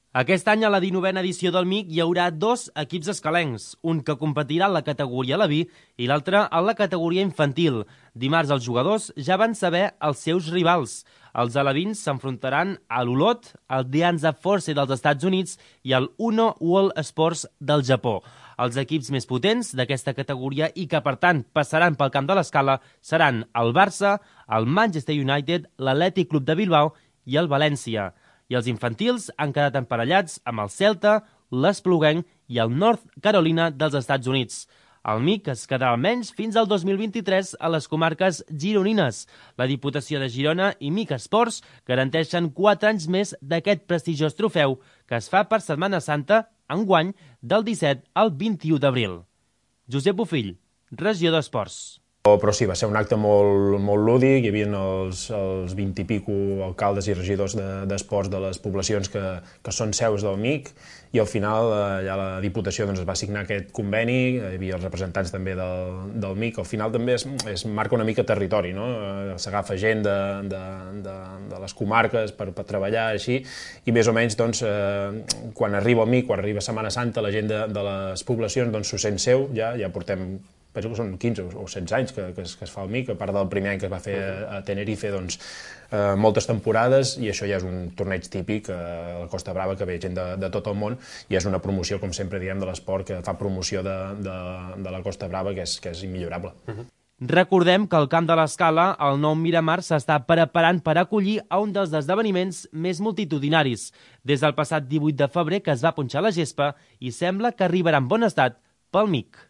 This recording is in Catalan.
Aquest any, a la 19a edició del MIC, hi haurà dos equips escalencs, un que competirà en la categoria Aleví i l'altre en la categoria infantil. Dimarts els jugadors ja van saber els seus rivals. Els alevins s'enfrontaran a l'Olot, al Dianza Force dels Estats Units i al Uno World Sports del Japó. Els equips més potents d'aquesta categoria i que, per tant, passaran pel camp de l'Escala seran el Barça, el Manchester United, l'Atlètic Club de Bilbao i el València. I els infantils han quedat emparellats amb el Celta, l'Espluguenc i el North Carolina dels Estats Units. El MIC es quedarà almenys fins al 2023 a les comarques gironines. La Diputació de Girona i MIC Esports garanteixen 4 anys més d'aquest prestigiós trofeu que es fa per Setmana Santa, enguany, del 17 al 21 d'abril. Josep Bofill, regidor d'Esports. Però sí, va ser un acte molt lúdic, hi havia els 20 i pico alcaldes i regidors d'esports de les poblacions que són seus del MIC, i al final ja la Diputació es va signar aquest conveni, hi havia els representants també del MIC. Al final també es marca una mica territori, no? S'agafa gent de les comarques per treballar així, i més o menys quan arriba el MIC, quan arriba Setmana Santa, la gent de les poblacions s'ho sent seu, ja portem, penso que són 15 o 16 anys que es fa el MIC, a part del primer any que es va fer a Tenerife, moltes temporades, i això ja és un torneig típic a la Costa Brava, que ve gent de tot el món, i és una promoció, com sempre diem, de l'esport, que fa promoció de la Costa Brava, que és immillorable. Recordem que al Camp de l'Escala, el nou Miramar s'està preparant per acollir a un dels esdeveniments més multitudinaris. Des del passat 18 de febrer que es va punxar la gespa i sembla que arribarà en bon estat pel MIC.